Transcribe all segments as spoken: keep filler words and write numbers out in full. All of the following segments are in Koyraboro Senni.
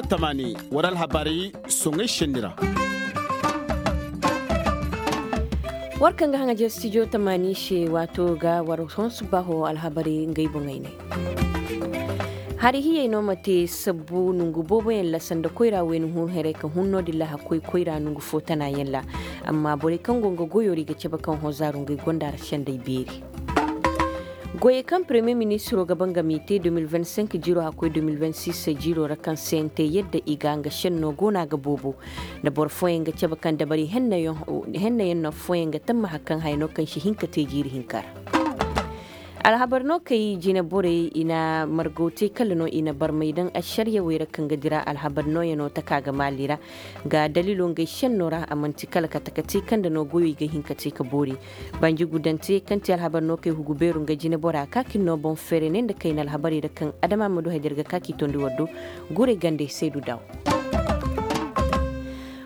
Tamaani war alhabarey soŋey šenni ra. War kaŋ ga haŋajer stijo tamaani se waato ga war honsu baho alhabarey ngey boŋey ne. Hari hiyey no ma te sabbu nongu booboyaŋ ra sanda koyra wayna hun haray ka hun no- din ra hakkoy koyra nongu fo tanayaŋ ra. Amma borey kaŋ go nga goyo ra i ga cabe kaŋ hozaaru ngey gonda ra sendey beeri. Goyey kaŋ premiye ministiro ga ba nga m'i te de mil vingt cinq jiiro hakkoy de mil vingt six jiiro ra kaŋ se nte yadda i ga nga senno go no a ga boobo. Nda boro fooyaŋ ga cabe kaŋ dabari hennayaŋ no fooyaŋ ga tamma hari kaŋ haya no kaŋ si hin ka te jiiri hinka ra. Alhabar no kay jine borey i na margaw te kala no i na barmay daŋ ašariyawey ra kaŋ ga dira alhabar nooyaŋo taka ga maali ra. Ga daliilo ngey senno ra a man'ti kala kate ka te kaŋ nda no goyey ga hin ka te ka boori. Banji gudante kaŋ ti alhabar no kay hugu beeru nga jine bora ka ka ir no boŋ feere ne nda kayna alhabarey ra kaŋ adama ma du hay da ir ga ka k'i tondi war do. Guray gande saydu daw.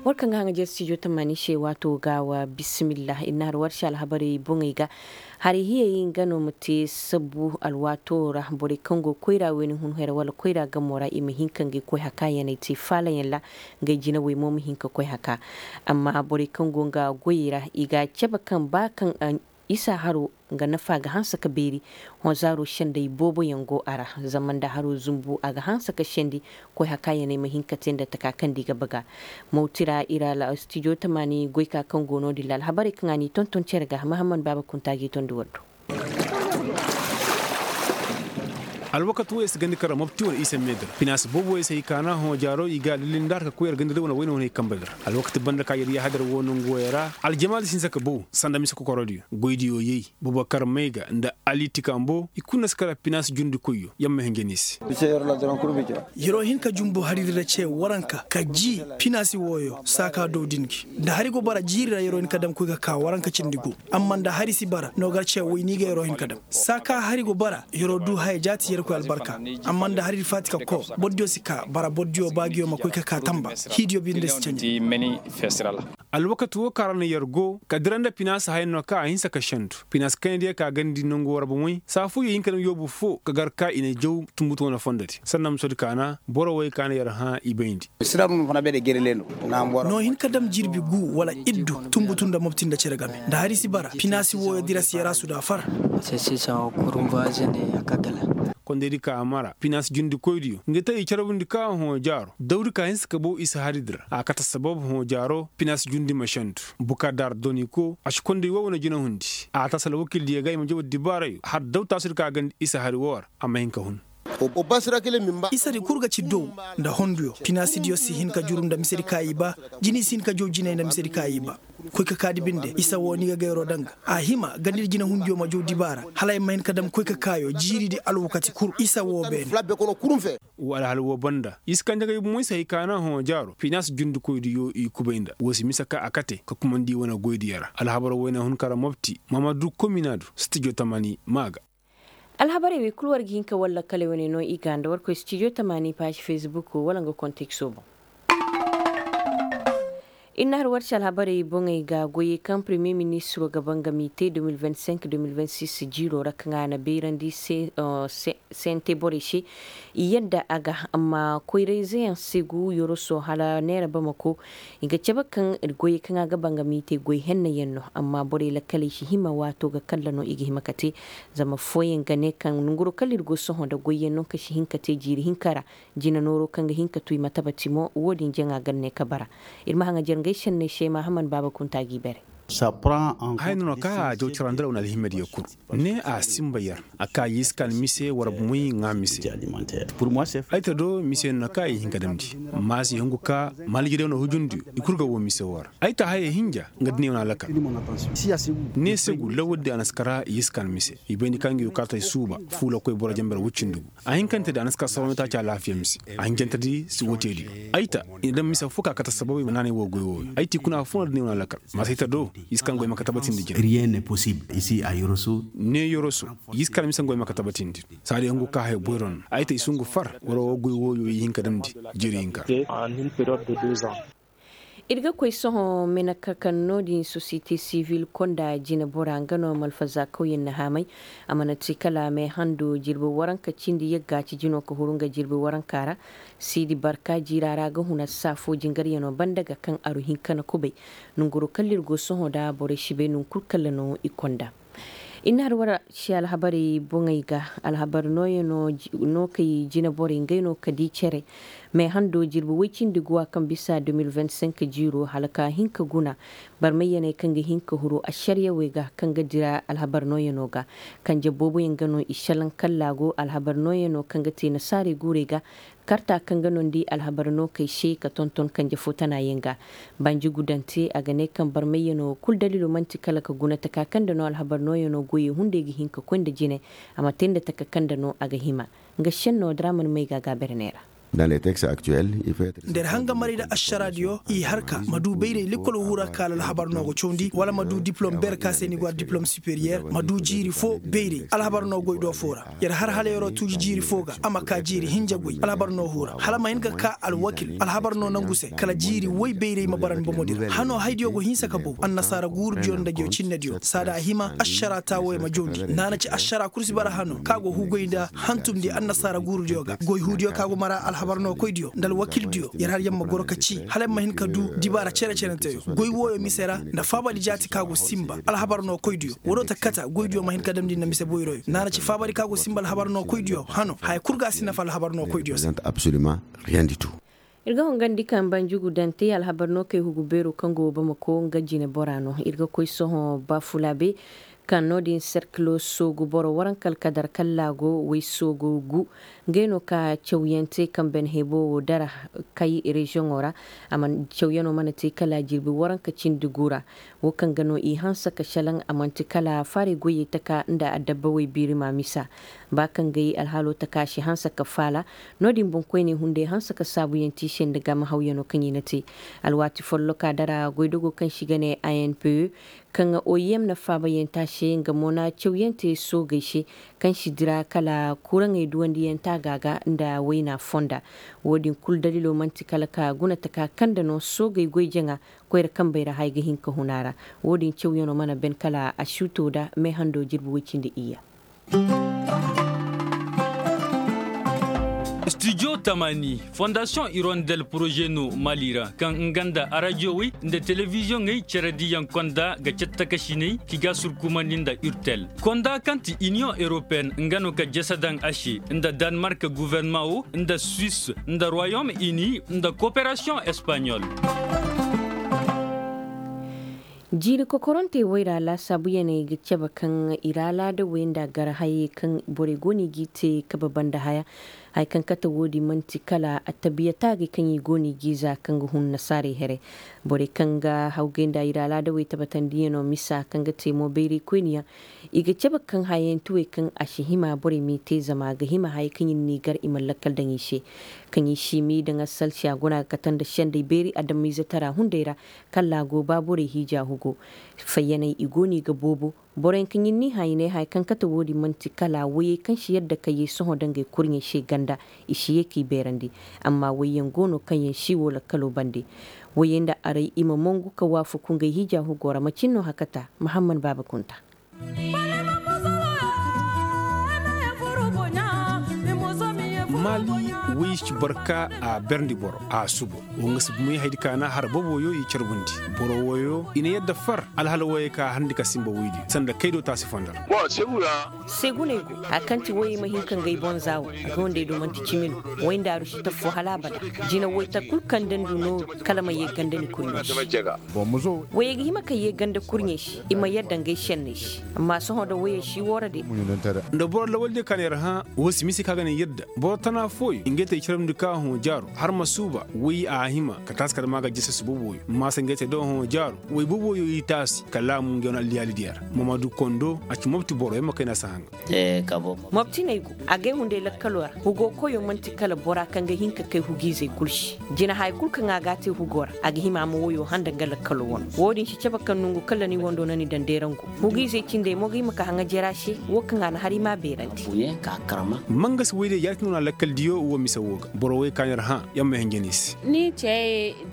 War kaŋ ga haŋajer stijo tamaani se waato ga wa bisimillah ir na har war se alhabarey boŋey ga. Hari hiyey nga no ma te sabbu alwaato ra borey kaŋ go koyra wayna hun haray wala koyra gamo ra i ma hin ka ngey koy haka yaney te faalayaŋ ra. Ngey jinawey mo ma hin ka koy haka. Amma borey kaŋ go nga goyey ra i ga a cabe kaŋ ba kaŋ isa haro nga nafa ga hanse ka beeri. Honzaaro sendey booboyaŋ go a ra. Zama nda haro zumbu a ga hanse ka sendi. Koy haka yaney ma hin ka te nda taka kaŋ nda i ga baga. Mawti ra ir stijo tamaani goyka kaŋ go no- din ra alhabarey kaŋ a n'i tonton cere ga mahamman baaba kunta g'i tondi war do. Alwakati wo i si gandi kara mopti wala isa meedir pinaasi boobo wo i si hay kaana hõ jaaro i ga a lilli nda har ka koy yar gandi ra wane wayne wane hay kamba dir. Alwakati banda ka yar yahadar wo nangu wo yar ra aljamaadi si hinsa ka bow sanda mise kokorodiyo goydiyo yay bubakar mayga nda ali tikambo i kulu na si kara pinaasi jundi koyyo yamma hinja ni se. Yaro hin ka jumbu hari dira ce waranka ka ji pinaasi wooyo saaka dow din gi nda hari go bara jiiri ra yaro hin ka dam koy ka ka waranka cindi gu. Amma nda hari si bara no gar ce woy ni ga yaro hin ka dam saaka hari go bara yaro du haya jaati yar koy albarka. Amma nda hari di faati ka ko bordiyo si ka bara bordiyo baagiyo ma koy ka ka tamba hiidiyo binde si candi. Alwakati wo kaŋ ra na yar go ka dira nda pinaasi hayaŋ no kaŋ a hinsa ka sendu pinaasi kayna diya ka gandi nangu war bomoy saafu yo hinka dam yoobu fo ka gar ka i na jaw tumbutu wane fondo di sanna ma soodi kaana boro wey kaana yar hã i bayndi. No hin ka dam jirbi gu wala iddu tumbutu nda mopti nda cere game nda hari si bara pinaasi wooyo dira si yar a su da far. Kondaydi ka a mara pinaasi jundi koydiyo nga te i carbundi ka hõ jaaro dawdi ka hinsa ka bow isa hari di ra a kate sabab hõ jaaro pinaasi jundi ma sendu. Bukadar doniko a si konday woo wane jinahundi a taasi alwakildiyo ga i ma jaw addibaarayo har daw taasudi ka gandi isa hari woo ra a ma hin ka hun. Isa di kul ga ci dow nda honduyo pinaasidiyo si hin ka juru nda misedi ka i ba. Jini si hin ka jaw jinay nda misedi ka i ba. Koy ka kaadi binde isa wo ni ga gayroo daŋ ga a hima gandidi jinahundiyo ma jaw dibaara hala ay ma hin ka dam koy ka kaayo jiiridi alwakati kul isa wo beene. Wa alhal wo banda i si kanje ga i bomoy se hay kaana hõ jaaro pinaasi jundikoydiyo i kubay nda wo si mise ka a kate ka kumandi wane goydiyo ra alhabar wayna hun kara mopti maamadu kominaadu stijo tamani ma ga. Alhabarey wey kul war ga hin ka war lakkaley wane no i ga nda war koy stijo tamaani paazi fesbuk wala nga kontekso boŋ. Ir na har war se alhabarey boŋey ga goyey kaŋ premiye ministiro ga ba nga m'i te de mil vingt cinq de mil vingt six jiiro ra kaŋ a na bayrandi se sente borey se. I yadda a ga amma koyrayzeyaŋ se gu yoroso hala neera bamako i ga cabe kaŋ goyey kaŋ a ga ba nga m'i te goy hennayaŋ no amma borey lakkaley si hima waato ga kalla no i ga hima ka te. Zama fooyaŋ ga ne kaŋ nonguro kala ir go sohõ nda goyyaŋ no kaŋ si hin ka te jiiri hinka ra. Jina nooro kaŋ ga hin ka tu i ma tabati mo wo-din jaŋa ga ne ka bara. Ir ma haŋajer ngey senney se mahaman baaba kunta g'i bare. Haya no no kaŋ a jaw carandi ra wane alhimediyo kul ne a sinba yar a ka yiskan mise war bumey ŋaa mise. Ay ta do mise no no kaŋ a ye hin ka damndi. Maasi hungu ka maalijidiyo no hujundiyo i kul ga woo mise woo ra. Ay ta haya hinja nga duniya wane alakal. Ne se gu lawal di a na si kara yiskan mise i bayndi ka ngi yu kaatay suuba fuula koy boro jambar wuccindi gu. A hinkante di a na si ka soroŋ taaci alaafiya mise. A hinjante di si woo teedi. Ay ta i na daŋ mise fo ka kate sabab i ma naanay woo goy wooyo ay ta i kuna fo no da ne wane alakal. Maasa ay ta do i si kaŋ goy ma ka tabatindi jina. Ne yoroso i si kaŋ mise goy ma ka tabatindi. Saadi hungu ka haya boyro no ay ta i si hungu far wara woo goy wooyo i hin ka damndi. Jiiri hinka. Ra. Ir ga koy sohõ meneka kaŋ no-din sosiyete sivil konda jinebora nga no malfazaakawyaŋ na haamay. A mana te kala meehando jirbi waranka cindi yagga ci jino ka huru nga jirbi waranka ra. Siidi barka jiira ra ga huna saafo jingaryaŋo banda ga kaŋ aru hinka na kubay. Nongoro kala ir go sohõ nda borey si bay nangu kulu kala no i konda. I na har wara si alhabarey boŋey ga. Alhabar nooyaŋo no kay jineborey ngey no ka di cere. Meehando jirbi woy cindi guwa kaŋ bisa de mil vingt-cinq jiiro hala ka hin ka guna. Barmayyaney kaŋ ga hin ka huru ašariyawey ga kaŋ ga dira alhabar nooyaŋo ga. Kanje booboyaŋ ga no i šelaŋ kallaago alhabar nooyaŋo kaŋ ga te nasaarey guurey ga. Karta kaŋ ga nondi alhabar nookey se ka tonton kanje fo tanayaŋ ga. Banji gudante a ga ne kaŋ barmayyaŋo kulu daliilo man'ti kala ka guna taka kaŋ nda no alhabar nooyaŋo goyey hunday ga hin ka koy nda jine. A ma te nda taka kaŋ nda no a ga hima. Nga šenno diraman may ga a ga a bere neera. Nda ir hangamaray nda ašaraadiyo i har ka ma du bayray lekkol huu ra kaŋ alhabar no ga cawandi wala ma du diplom beere kaŋ se ni go a diplom superiyer ma du jiiri fo bayray alhabar no goy do fo ra. Yer har hala yer'o tuuji jiiri fo ga a ma ka jiiri hinja goy alhabar no huu ra hala ma hin ka ka alwakil alhabar no nangu se kala jiiri woy bayray ma bara ni bomo di ra hano haydiyo go hinsa ka bow annasaara guurudiyo nda jocinediyo saada a hima ašara taawoyo ma jawndi naana ci ašara kul si bara hano kaŋ a go huugoy nda hantumndi annasaara guurudiyo ga goy huudiyo kaŋ a go mara alhabar no koydiyo nda alwakildiyo yer har yer ma goro ka ci hala yer ma hin ka du dibaara cere-cerenteyo goy wooyo mise ra nda faabari jaati kaŋ a go sinba alhabar no koydiyo woo do ta kata goydiyo ma hin ka damndi nda mise boyroyo naana ci faabari kaŋ a go sinba alhabar no koydiyo hano haya kul ga a si nafa alhabar no koydiyo se. Ir ga hongandi kaŋ banjugu daŋ te alhabar no kay hugu beero kaŋ go bamako nga jine bora no ir ga koy sohõ bafulabe kaŋ no- din serkilo soogu boro waranka alkadar kallaago way soogu gu. Ngey no ka cawyaŋ te kaŋ ben hebo wo dara kay reziyoŋo ra. Cawyano mana te kala jirbi waranka cindi gu ra. Wo kaŋ ga no i hanse ka selaŋ a man'ti kala faaray goyey taka nda adabba way biiri ma misa. Ba kaŋ ga i alhaalo taka a si hanse ka faala. No- din boŋkoyney hunday hanse ka saabuyaŋ te i se nda gaama hawyano kaŋ i na te. Alwaati folloka dara goydogo kaŋ se i ga ne a n p e kaŋ o i m na faabayaŋ te a se nga mo na cawyaŋ te soogey se kaŋ si dira kala kuraŋey duwandiyaŋ taaga ga nda wayna fonda. Wo- din kulu daliilo man'ti kala ka guna taka kaŋ nda no soogey goy jaŋa koyra kambey ra haya ga hin ka hun a ra. Wo- din cawyaŋo mana ben kala a suuto nda meehando jirbi woy cindi iyya. Studio tamani fondasiyoŋ irondel poroze no mali ra kaŋ nga nda arajiyowey nda telebiziyoŋey cere diyaŋ konda ga cattakasiney ki ga surkumandi nda urtel konda kaŋ ti iniyoŋ europeen nga no ka jese daŋ a se nda danmark guvernaman wo nda suwis nda royom ini nda koperasiyoŋ espaɲol. Jiiri kokorantey wayra laasaabuyaney ga cabe kaŋ i ra laadawey nda gar hayey kaŋ borey go no i g'i te kabe banda haya. Haya kaŋ kate wo-din man'ti kala attabiya taagey kaŋ i go no i g'i za kaŋ ga hun nasaarey here. Borey kaŋ ga hawgay nda i ra laadawey tabatandiyaŋo misa kaŋ ga te mo bayraykoyniyaŋ. I ga cabe kaŋ hayantewey kaŋ a si hima borey m'i te zama a ga hima hayey kaŋ i na n'i gar i mana lakkal daŋ i se. Kaŋ i si m'i daŋ asalsi a guna ga kate nda sendey beeri adamiizatara hunday ra. Kala a go ba borey hiija hugo. Fayyaney i go no i ga boobo. Boroyaŋ kaŋ i n'i hã i ne haya kaŋ kate wo-din man'ti kala wayey kaŋ si yadda ka yee sohõ dangey kurɲey se ganda. I si yee k'i beerandi. Amma wayyaŋ go no kaŋ yaŋ si woo lakkalo bande. Wayey nda aray i ma mongu ka waafaku ngey hiija hugo ra macin no hakata mahamman baaba kunta. Maali, woy si barka a berndi boro a subo. Wo nga si bumey haydi kaana har boboyo i carbundi. Boro woyo i na yadda far alhala woyey ka harndi ka simba woydi sanda kaydo taasi fondar. Seguney go haya kaŋ ti woyey ma hin ka ngey boŋ za wo a ga wandey do man'ti cimi no. Woy nda aru si taffo hala abada. Jina woyta kul kaŋ nda ndu no kala ma yee ganda ni koyno se. Woyey ga hima ka yee ganda kurɲey se i ma yadda ngey senney se. Amma sohõ da woyey si woora de. Nda boro lawaldiyo kaŋ na yar hã wo si mise kaŋ a ga naŋ yadda boro tana fooyo ngey te i carabndi ka hõ jaaro har ma suuba woy a hima ka taasi kala ma ga jese si boboyo maasa ngey te do hõ jaaro woy boboyo i taasi kala a mu ngey wane alliyaalidiyo ra. Mamadu kondo a ci mopti boro yamma kayna si haŋ. Moptiney go agay hunday lakkalo ra. Hugo koyo manti kala bora kaŋ ga hin ka kay hugiizey kul se. Jina haya kul kaŋ a ga a te hugo ra a ga hima a ma woyo handa nga lakkalo wano wo-din si cabe kaŋ nongu kala ni wando na ni daŋ deerangu. Hugiizey cindey mo ga hima ka haŋa jera se. Wo kaŋ a na hari ma beerandi. Mangasi woydiyo yaati no na lakkaldiyo wo mise. Boro wey ka na ir hã, yer ma hin jina i se.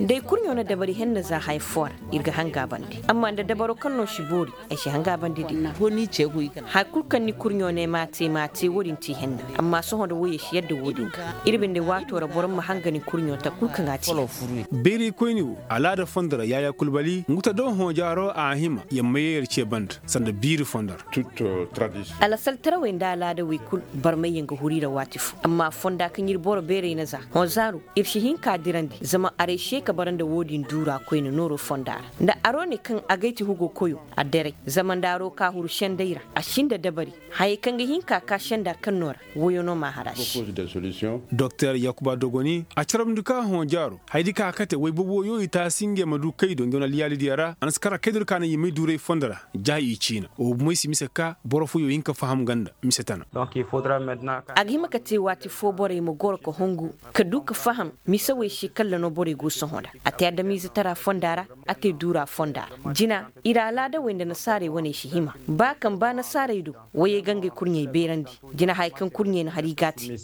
Day kurɲo na dabari henna za haya foo ra, ir ga hanga bande. Amma nda dabaro kaŋ no si boori, ay si hanga bande di. Haya kulu kaŋ ni kurɲo ne m'a te m'a te wo-din ti henna. Amma sohõ nda woyey si yadda wo-din ga, ir binde waato ra boro ma hanga ni kurɲo ta kulu kaŋ a te. Bayray koyni wo, alaada fondo ra yaaya kulbali ngu ta do hõ jaaro a hima, yer ma ye yer ce banda sanda biiri fondo ra. Alasal tarawey nda alaadawey kulu, barmayyaŋ ga huru i ra waati fo. Amma fonda kaŋ ir boro beeray na za hõ zaaru, ir si hin k'a dirandi zama aray se ka bara nda wo-din duura koyne nooro fonda ra. Nda aro ne kaŋ agay ti hugo koyo, a deray. Zama nda aro ka huru senday ra, a si nda dabari. Hayey kaŋ ga hin ka ka senda kaŋ no ra, woyo no m'a har a se. Doktor yakuba dogoni a carabndi ka hõ jaaro, hayadi ka kate woy boboyo i taasi ngey ma du kaydo ngey wane alliyaalidiyo ra a na si kar a kaydo di ka naŋ i may duuray fondo ra. Ja i ciina wo bomey si mise ka boro fooyo hin ka faham ganda mise tana. A ga hima ka te waati foo borey ma goro ka hongu, ka du ka faham mise wey se kalla no borey go sohõ nda. A te adamiize tara fonda ra, a te duura fonda ra. Jina, ir alaadawey nda nasaarey waney si hima. Ba kaŋ ba nasaarey do, woyey ga ngey kurɲey beerandi. Jina haya kaŋ kurɲey na har i ga a te.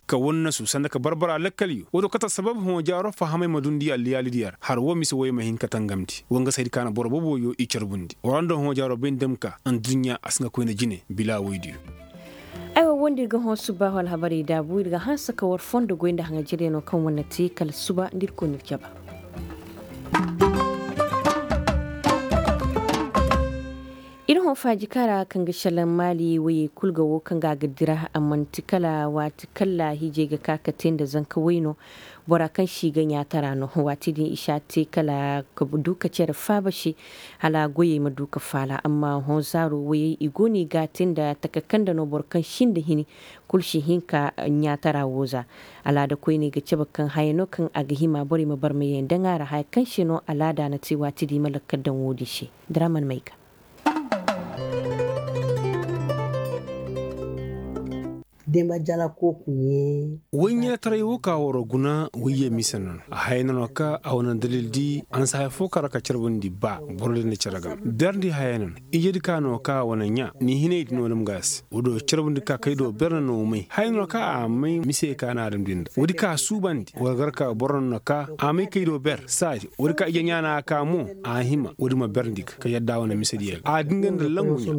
Ka wannasu sanda ka barbara lakkaliyo wo do kate assabab hõ jaaro fahamey ma dundi alliyaalidiyo ra har wo mise woyey ma hin ka tangamndi wo nga se hayadi ka na boro boboyo i carbundi war nda hõ jaaro bay nda ma ka adduɲɲa a si nga koyne jine bila woydiyo. Aywa wo nda ir ga hõ subbaahu alhabarey daabu ir ga hanse ka war fondo goy nda haŋajeryanoo kaŋ war na te kala suba nda ir koy na ir caba. Ir hõ faajika ra kaŋ ga šelaŋ maali woyey kul ga wo kaŋ ga a ga dira a man'ti kala waati kalla hiijey ga ka ka te nda zanka way no. Bora kaŋ si ga ɲaatara no waati din i si a te kala ka du ka cere faaba se. Hala goyey ma du ka faala amma hõ zaaro woyey i go no i ga a te nda taka kaŋ nda no boro kaŋ si nda hini kul si hin ka ɲaatara wo za. Alaada koyney ga cabe kaŋ haya no kaŋ a ga hima borey ma barmayey daŋ a ra haya kaŋ se no alaada na te waati din i ma lakkal daŋ wo-din se. Daraman mayga. Woy ɲaataray wo ka war guna woy ye mise no no a haya no no ka a wane dalil di a na si haya fo kara ka carbundi ba boro din na care game berndi haya no no. Ijedi ka no ka a wane ɲa ni hinay di no nim ga a se wo do carbundi ka kay do ber no no may haya no no ka a may mise ka na adam din da woodi ka a suubandi war gar ka boro no no ka a may kay do ber saadi woodi ka ije ɲa na a ka mo a hima woodi ma berndi ga ka yadda wane mise diya ga a dinga nda langu ɲa.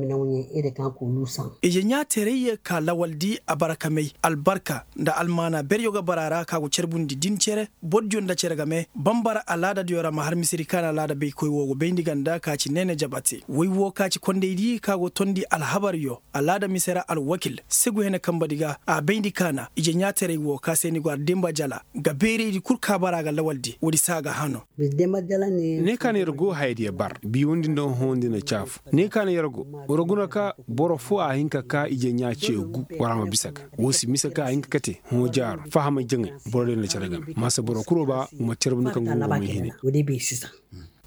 Ije ɲaateerayye ka lawal di a bara ka may albarka nda almaana beryo ga bara ra ka go carbundi din cere bordiyo nda cere game bambara alaadadiyo ra ma har misedi ka na alaada baykoy wo go bayndi ganda ka ci neene jabate woy wo ka ci kondaydi ka go tondi alhabaryo alaada mise ra alwakil segu hene kambadi ga a bayndi ka na ije ɲaateeray wo ka se ni go ardemba jala ga beeraydi kul ka bara ga lawaldi woodi se a ga hano. Ne ka na yer go hayadiyo bar biiwandi nda hõhõndi na caafu ne ka na yer go war guna ka boro foo a hin ka ka ije ɲaa ce gu war a ma bisa ga woo si mise ka a hin ka kate hõ jaaro fahamay jaŋay boro day na care game maasa boro kul wo ba wa ma carbundi ka ngu wo may hine.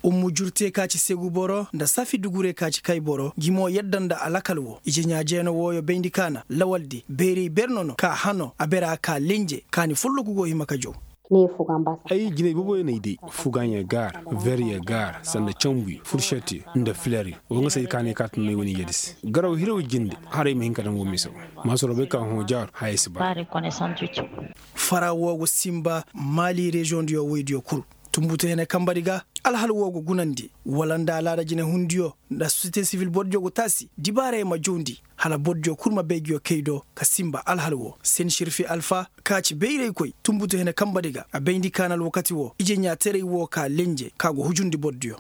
Ummu jurte ka ci segu boro nda safi dugure ka ci kay boro gi mo yadda nda alakal wo ije ɲaa jeeno wooyo bayndi ka na lawaldi bayray ber no no ka hano a bera ka lenje kaani folloku go hima ka jow. Ay jinay booboyo n'ay day fugaaɲe gaara verye gaara sanda canbuyo furšetiyo nda fileryo woo nga se ay kaanay ka tun no ay wane ijedi se garaw hiraw jinde hala ay ma hin ka daŋ woo mise woo maasoro bay ka hõ jaaro haya si ba. Fara woo go sinba maali reziyoŋdiyo woydiyo kul tunbutu hene kambadi ga alhal woo go gunandi wala nda alaada jinehundiyo nda sosiyete sivil bordiyo go taasi dibaarey ma jawndi hala bordiyo kul ma bay nguyo kay do ka sinba alhal woo sensirfi alfa ka ci bayraykoy tunbutu hene kambadi ga a bayndi ka na alwakati woo ije ɲaateray woo ka lenje ka go hujundi bordiyo.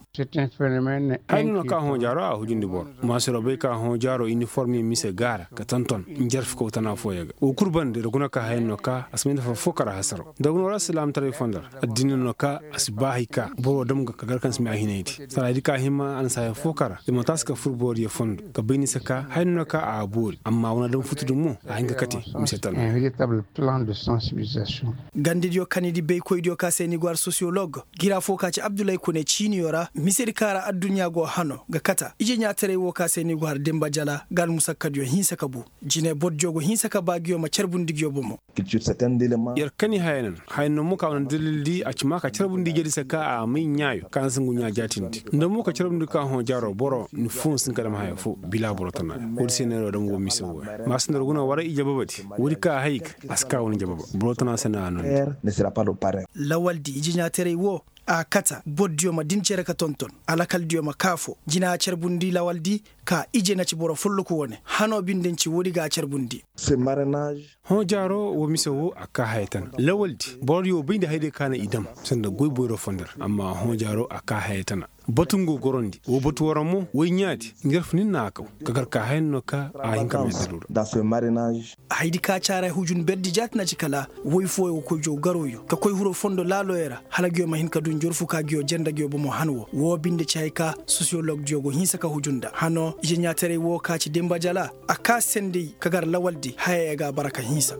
Haya no no ka hõ jaaro a hujundi boro maasiro bay ka hõ jaaro iniformiyo mise gaara ka tonton njarfikaw tana fooyo ga woo kul banda ir guna ka haya no no ka a si may nafa foo kara hasaraw nda guna wala silaamtaray fondo ra addiina no no ka a si ba hay ka boro dam ga ka gar kaŋ si may a hinaydi saraadi ka hima a na si haya foo kara ir ma taasi ka fur booriyo fondo ka bay ni se ka haya no no ka a boori amma wane dam futu din mo a hin ka kate mise tana. Gandidiyo kanidi baykoydiyo ka se ni go har sosiyolog gira foo ka ci abdulay kune ciiniyo ra misedi ka ra adduɲɲa go hano ga kata ije ɲaataray woo ka se ni go har dimba jala ga almusakkadiyo hinsa ka bu jine bordiyo go hinsa ka ba nguyo ma carbundi nguyo bomo. Yer kani haya no no haya no mo ka wane dalil di a ci ma ka carbundi ijedi se ka a may ɲaayo ka na si ngu ɲaa jaatindi nda mo ka carbundi ka hõ jaaro boro ni foo nsi hin ka dam haya foo bila boro tana ra woodi se no. Mise wo ma si nda roguna wara ije babadi. Woodi ka a hay ga a si ka wane jababa boro tana se na a nondi. Lawaldi ije ɲaataray wo a kata bordiyo ma din cere ka tonton alakaldiyo ma kaafo jina a carbundi lawaldi ka ije na ci boro folloku wane hano binde nci woodi ga a carbundi. Hõ jaaro wo mise wo a kaa haya tana lawaldi borodiyo bay nda hayday ka na i dam sanda goy boyro fondo ra amma hõ jaaro a kaa haya tana. Batu nga gorondi wo batu waraŋ mo woy ɲaadi nga yar funin na a kaw. Ka gar ka hayan no ka a hin ka meedaru ra. Haydi ka caara hujun berdi jaati na ci kala woy fooyo ga koy jaw garoyo ka koy hiro fondo laaloyo ra hala nguyo ma hin ka du njorfu ka nguyo janda nguyo bomo han wo wo binde ci hay ka sosiyologdiyo go hinsa ka hujun nda hano ize ɲaataray wo ka ci dimba jala a kaa senday ka gar lawaldi hayaya ga a bara ka hinsa.